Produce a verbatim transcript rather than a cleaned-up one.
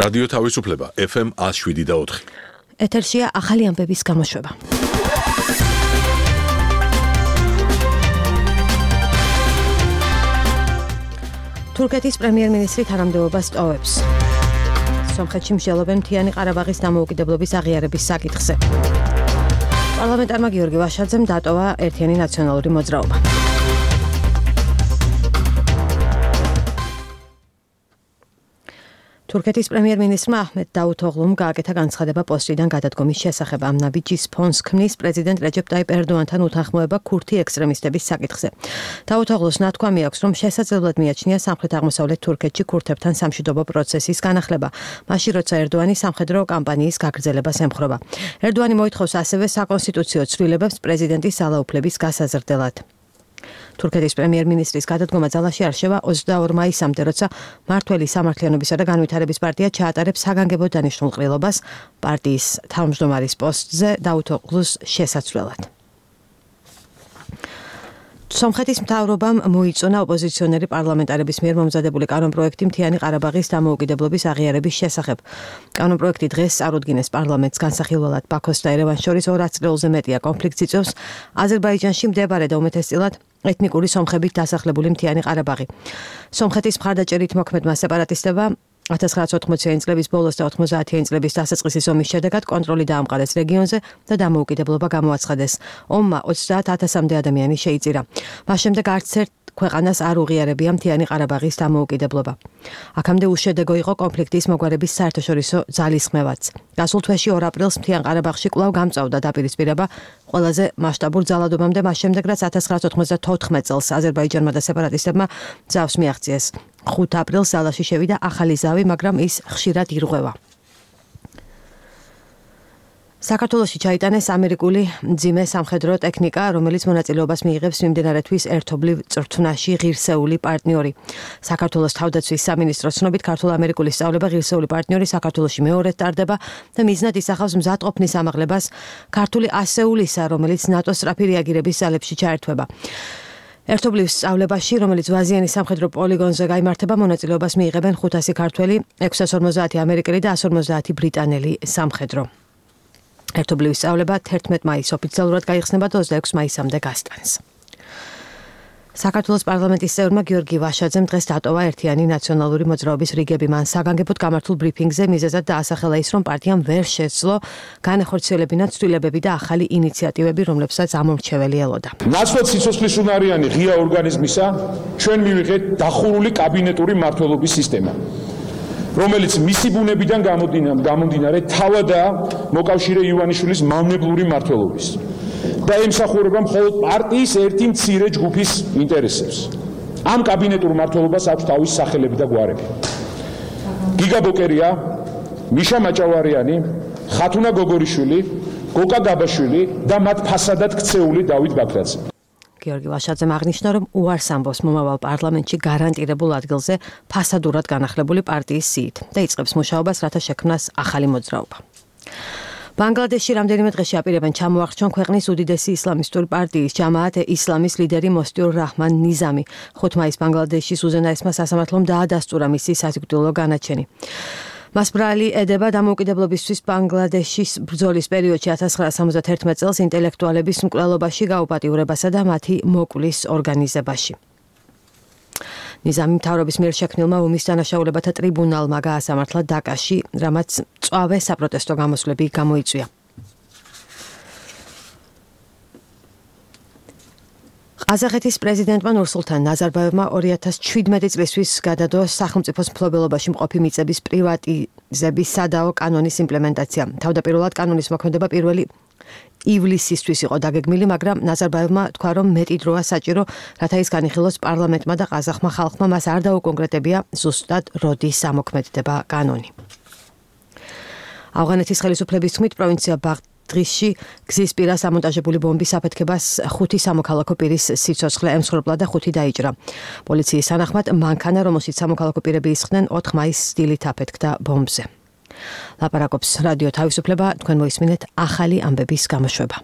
რადიო თავისუფლება ეფ ემ one oh seven და four. ეთერშია ახალი ამბების გამოშვება. თურქეთის პრემიერ-მინისტრი თანამდებობას ტოვებს. სომხეთში მსჯელობენ მთიანი ყარაბაღის დამოუკიდებლობის აღიარების საკითხზე. პარლამენტარმა გიორგი ვაშაძემ დატოვა ერთიანი ნაციონალური მოძრაობა. თურქეთის პრემიერ-მინისტრმა აჰმედ დაუთოღლუმ გააკეთა განცხადება პოსტიდან გადადგომის შესახებ. ამ ნაბიჯის ფონს ქმნის პრეზიდენტ რეჯეპ ტაიპ ერდოანთან უთანხმოება ქურთი ექსტრემისტების საკითხზე. დაუთოღლუს ნათქვამი აქვს, რომ შესაძლებლად მიაჩნია სამხრეთ-აღმოსავლეთ თურქეთში ქურთებთან სამშვიდობო პროცესის განახლება, მაშინ როცა ერდოანი სამხედრო კამპანიის გაგრძელებას ემხრობა. ერდოანი მოითხოვს ასევე საკონსტიტუციო ცვლილებებს პრეზიდენტის ძალაუფლების გასაზრდელად. თურქეთის პრემიერ-მინისტრის გადადგომა ძალაში არჩევა ოცდაორ მაისამდე, როცა მართველი სამართლიანობისა და განვითარების პარტია ჩაატარებს საგანგებო დანიშნულ ყრილობას პარტიის თავმჯდომარის პოსტზე დაუთოღლუს შესაცვლელად. სომხეთის მთავრობამ მოიწონა ოპოზიციონერი პარლამენტარების მიერ მომზადებული კანონპროექტი მთიანი ყარაბაღის დამოუკიდებლობის აღიარების შესახებ. კანონპროექტი დღეს წარუდგინეს პარლამენტს განსახილველად. ბაქოს და ერევანს შორის ორ ათწლეულზე მეტია კონფლიქტს იწვევს აზერბაიჯანში მდებარე და უმეტესწილად ეთნიკური სომხებით დასახლებული მთიანი ყარაბაღი. სომხეთის მხარდაჭერით მოქმედმა სეპარატისტებმა one thousand nine hundred eighty წლების ბოლოს და ninety წლების დასაწყისის ომის შედეგად კონტროლი დაამყარეს რეგიონზე და დამოუკიდებლობა გამოაცხადეს. ომმა ოცდაათ ათასამდე ადამიანი შეიწირა. მას შემდეგ არც ერთ ქვეყანას არ უღიარებია მთიანი ყარაბაღის დამოუკიდებლობა. აქამდე უშედეგო იყო კონფლიქტის მოგვარების საერთაშორისო ძალისხმევაც. გასულ თვეში ორ აპრილს მთიან ყარაბაღში კვლავ გამწვავდა დაპირისპირება ყველაზე მასშტაბურ ძალადობამდე, მას შემდეგ რაც one thousand nine hundred ninety-four წელს აზერბაიჯანმა და სეპარატისტებმა ძავს მიაღწიეს. ხუთ აპრილს ძალაში შევიდა ახალი ზავი, მაგრამ ის ხშირად ირღვევა. საქართველოში ჩაიტანეს ამერიკული მძიმე სამხედრო ტექნიკა, რომელიც მონაწილეობას მიიღებს მიმდინარე თვის ერთობლივ წრთვნაში ღირსეული პარტნიორი. საქართველოს თავდაცვის სამინისტროს ცნობით, ქართულ-ამერიკული სწავლება ღირსეული პარტნიორი საქართველოში მეორედ ტარდება და მიზნად ისახავს მზადყოფნის ამაღლებას ქართული ასეულისა, რომელიც ნატოს სწრაფი რეაგირების ძალებში ჩაერთვება. ერთობლივ სწავლებაში, რომელიც ვაზიანის სამხედრო პოლიგონზე გაიმართება, მონაწილეობას მიიღებენ ხუთასი ქართველი, ექვსას ორმოცდაათი ამერიკელი და εκατს ორმოცდაათი ბრიტანელი სამხედრო. ერთობლივი სწავლება თერთმეტ მაისს ოფიციალურად გაიხსნება და ოცდაექვსი მაისამდე გასტანს. საქართველოს პარლამენტის წევრმა გიორგი ვაშაძემ დღეს დატოვა ერთიანი ნაციონალური მოძრაობის რიგები. მან საგანგებოდ გამართულ ბრიფინგზე მიზეზად დაასახელა ის, რომ პარტიამ ვერ შეძლო განახორციელებინა ცვლილებები და ახალი ინიციატივები, რომლებსაც ამომრჩეველი ელოდა. ნაცვლად სიცოცხლისუნარიანი ღია ორგანიზმისა ჩვენ მივიღეთ დახურული კაბინეტური მმართველობის სისტემა, რომელიც მისი ბუნებიდან გამომდინარე თავადაა მოკავშირე ივანიშვილის მავნებლური მმართველობის და ემსახურება მხოლოდ პარტიის ერთი მცირე ჯგუფის ინტერესებს. ამ კაბინეტურ მმართველობას აქვს თავისი სახელები და გვარები. გიგა ბოკერია, მიშა მაჭავარიანი, ხათუნა გოგორიშვილი, გოკა გაბაშვილი და მათ ფასადად ქცეული დავით ბაქრაძე. გიორგი ვაშაძემ აღნიშნა, რომ უარს ამბობს მომავალ პარლამენტში გარანტირებულ ადგილზე ფასადურად განახლებული პარტიის სიით და იწყებს მუშაობას, რათა შექმნას ახალი მოძრაობა. ბანგლადეშში რამდენიმე დღეში აპირებენ ჩამოახრჩონ ქვეყნის უდიდესი ისლამისტური პარტიის ჯამაათ ისლამის ლიდერი მოსტიურ რაჰმან ნიზამი. ხუთ მაისს ბანგლადეშის უზენაესმა სასამართლომ დაადასტურა მისი სასიკვდილო განაჩენი. მას ბრალი ედება დამოუკიდებლობისთვის ბანგლადეშის ბრძოლის პერიოდში one thousand nine hundred seventy-one წელს ინტელექტუალების მკვლელობაში გაუპატიურებასა და მათი მოკვლის ორგანიზებაში. ნიზამი მთავრობის მიერ შექმნილმა ომის დანაშაულებათა ტრიბუნალმა გაასამართლა დაკაში, რამაც მწვავე საპროტესტო გამოსვლები გამოიწვია. ყაზახეთის პრეზიდენტმა ნურსულთან ნაზარბაევმა ორი ათას შვიდმეტი წლისთვის გადადო სახელმწიფოს მფლობელობაში მყოფი მიწების პრივატიზების სადაო კანონის იმპლემენტაცია. თავდაპირველად კანონის მოქმედება პირველი ივლისისთვის იყო დაგეგმილი, მაგრამ ნაზარბაევმა თქვა, რომ მეტი დროა საჭირო, რათა ის განიხილოს პარლამენტმა და ყაზახმა ხალხმა, მას არ დაუკონკრეტებია ზუსტად როდის ამოქმედდება კანონი. ავღანეთის ხელისუფლების თქმით, პროვინცია ბაღდღისში გზის პირას ამონტაჟებული ბომბის აფეთქებას ხუთი სამოქალაქო პირის სიცოცხლე ემსხვერპლა და ხუთი დაიჭრა. პოლიციის თანახმად მანქანა, რომელშიც სამოქალაქო პირები ისხდნენ, ოთხ მაისს სტილით აფეთქდა ბომბზე. ლაპარაკობს რადიო თავისუფლება, თქვენ მოისმინეთ ახალი ამბების გამოშვება.